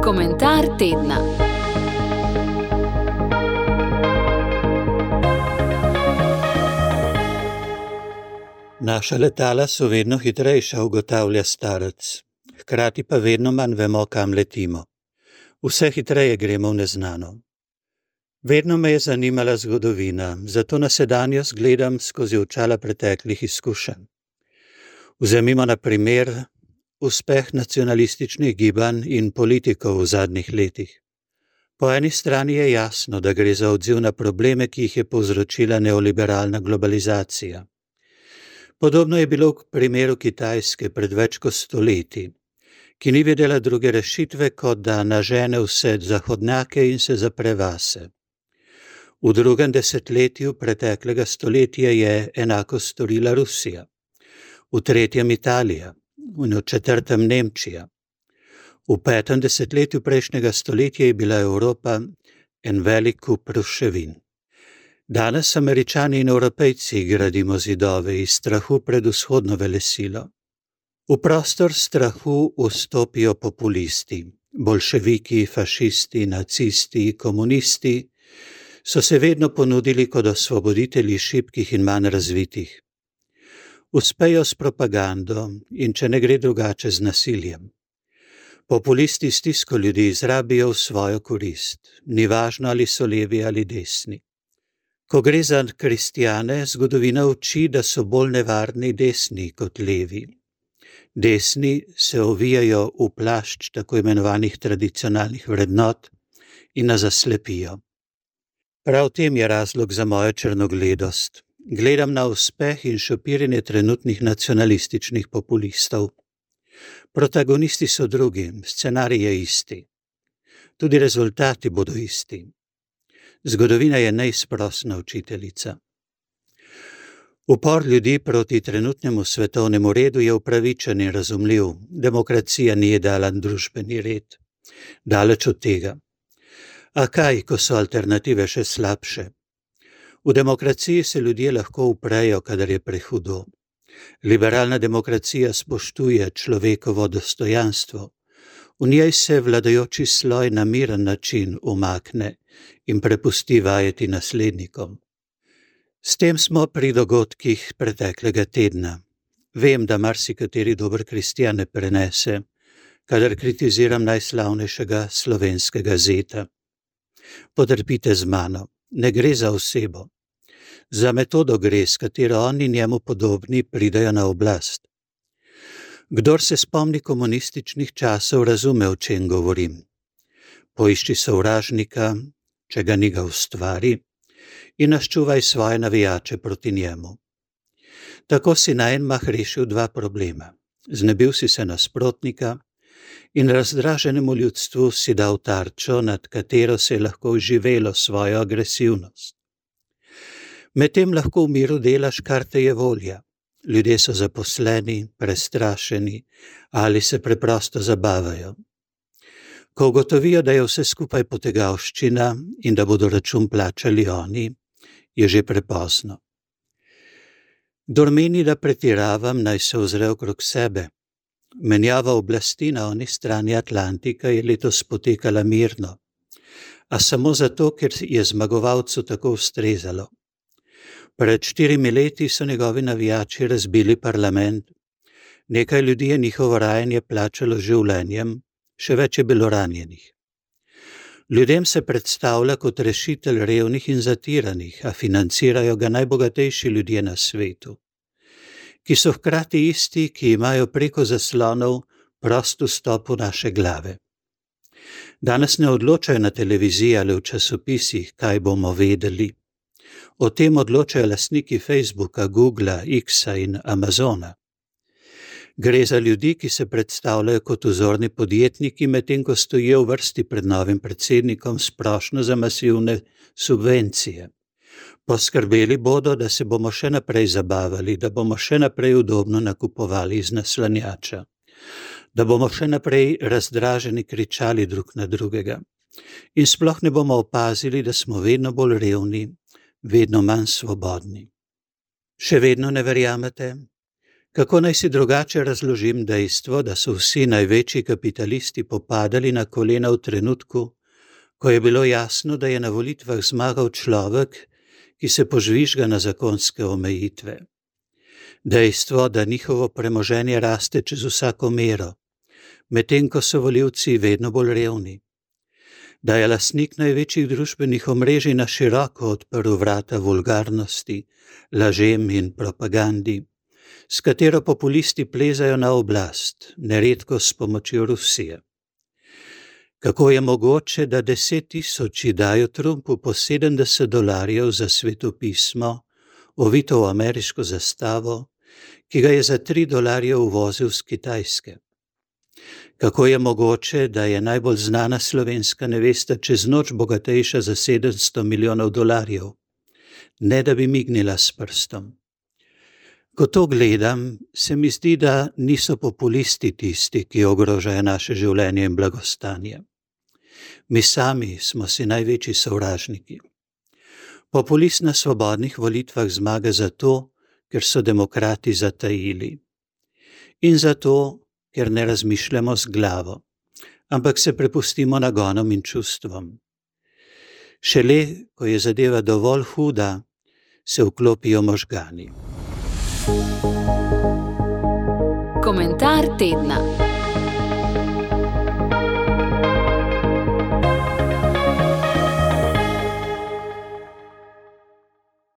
Komentar tedna. Naša letala so vedno hitrejša, ugotavlja starec. Hkrati pa vedno manj vemo, kam letimo. Vse hitreje gremo v neznano. Vedno me je zanimala zgodovina, zato na sedanjost gledam skozi očala preteklih izkušenj. Vzemimo na primer uspeh nacionalističnih gibanj in politikov v zadnjih letih. Po eni strani je jasno, da gre za odziv na probleme, ki jih je povzročila neoliberalna globalizacija. Podobno je bilo v primeru Kitajske pred več kot stoletji, ki ni vedela druge rešitve, kot da nažene vse zahodnjake in se zapre vase. V drugem desetletju preteklega stoletja je enako storila Rusija, v tretjem Italija in v četrtem Nemčija. V petem desetletju prejšnjega stoletja je bila Evropa en velik kup ruševin. Danes Američani in Evropejci gradimo zidove iz strahu pred vzhodno velesilo. V prostor strahu vstopijo populisti, boljševiki, fašisti, nacisti, komunisti, so se vedno ponudili kot osvoboditelji šibkih in manj razvitih. Uspejo s propagando in če ne gre drugače z nasiljem. Populisti stisko ljudi izrabijo v svojo korist, ni važno ali so levi ali desni. Ko gre za kristjane, zgodovina uči, da so bolj nevarni desni kot levi. Desni se ovijajo v plašč tako imenovanih tradicionalnih vrednot in nas zaslepijo. Prav tem je razlog za mojo črnogledost. Gledam na uspeh in šopirjenje trenutnih nacionalističnih populistov. Protagonisti so drugi, scenarij je isti. Tudi rezultati bodo isti. Zgodovina je neizprosna učiteljica. Upor ljudi proti trenutnemu svetovnemu redu je upravičen in razumljiv. Demokracija ni idealen družbeni red. Daleč od tega. A kaj, ko so alternative še slabše? V demokraciji se ljudje lahko uprejo, kadar je prehudo. Liberalna demokracija spoštuje človekovo dostojanstvo. V njej se vladajoči sloj na miren način umakne in prepusti vajeti naslednikom. S tem smo pri dogodkih preteklega tedna. Vem, da marsikateri dober kristjan ne prenese, kadar kritiziram najslavnejšega slovenskega zeta. Potrpite z mano, ne gre za osebo. Za metodo gre, s katero oni njemu podobni pridejo na oblast. Kdor se spomni komunističnih časov, razume, o čem govorim. Poišči sovražnika, če ga ni, ga ustvari, in naščuvaj svoje navijače proti njemu. Tako si na en mah rešil dva problema. Znebil si se nasprotnika in razdraženemu ljudstvu si dal tarčo, nad katero se je lahko uživelo svojo agresivnost. Medtem lahko v miru delaš, kar te je volja. Ljudje so zaposleni, prestrašeni ali se preprosto zabavajo. Ko ugotovijo, da je vse skupaj potegavščina in da bodo račun plačali oni, je že prepozno. Kdor meni, da pretiravam, naj se ozre okrog sebe. Menjava oblasti na oni strani Atlantika je letos potekala mirno, a samo zato, ker je zmagovalcu tako ustrezalo. Pred 4 leti so njegovi navijači razbili parlament, nekaj ljudi je njihovo rajanje plačalo življenjem, še več je bilo ranjenih. Ljudem se predstavlja kot rešitelj revnih in zatiranih, a financirajo ga najbogatejši ljudje na svetu, ki so hkrati isti, ki imajo preko zaslonov prost vstop v naše glave. Danes ne odločajo na televiziji ali v časopisih, kaj bomo vedeli. O tem odločajo lastniki Facebooka, Googla, Xa in Amazona. Gre za ljudi, ki se predstavljajo kot vzorni podjetniki, medtem ko stojijo v vrsti pred novim predsednikom s prošnjo za masivne subvencije. Poskrbeli bodo, da se bomo še naprej zabavali, da bomo še naprej udobno nakupovali iz naslanjača, da bomo še naprej razdraženi kričali drug na drugega in sploh ne bomo opazili, da smo vedno bolj revni, vedno manj svobodni. Še vedno ne verjamete? Kako naj si drugače razložim dejstvo, da so vsi največji kapitalisti popadali na kolena v trenutku, ko je bilo jasno, da je na volitvah zmagal človek, ki se požvižga na zakonske omejitve. Dejstvo, da njihovo premoženje raste čez vsako mero, medtem ko so volivci vedno bolj revni. Da je lastnik največjih družbenih omrežij na široko odprl vrata vulgarnosti, lažem in propagandi, s katero populisti plezajo na oblast, neredko s pomočjo Rusije. Kako je mogoče, da 10.000 dajo Trumpu po $70 za svetopismo, ovito v ameriško zastavo, ki ga je za $3 uvozil z Kitajske? Kako je mogoče, da je najbolj znana slovenska nevesta čez noč bogatejša za $700 milijonov, ne da bi mignila s prstom? Ko to gledam, se mi zdi, da niso populisti tisti, ki ogrožajo naše življenje in blagostanje. Mi sami smo si največji sovražniki. Populist na svobodnih volitvah zmaga zato, ker so demokrati zatajili. In zato, ker ne razmišljamo z glavo, ampak se prepustimo nagonom in čustvom. Šele, ko je zadeva dovolj huda, se vklopijo možgani. Komentar tedna.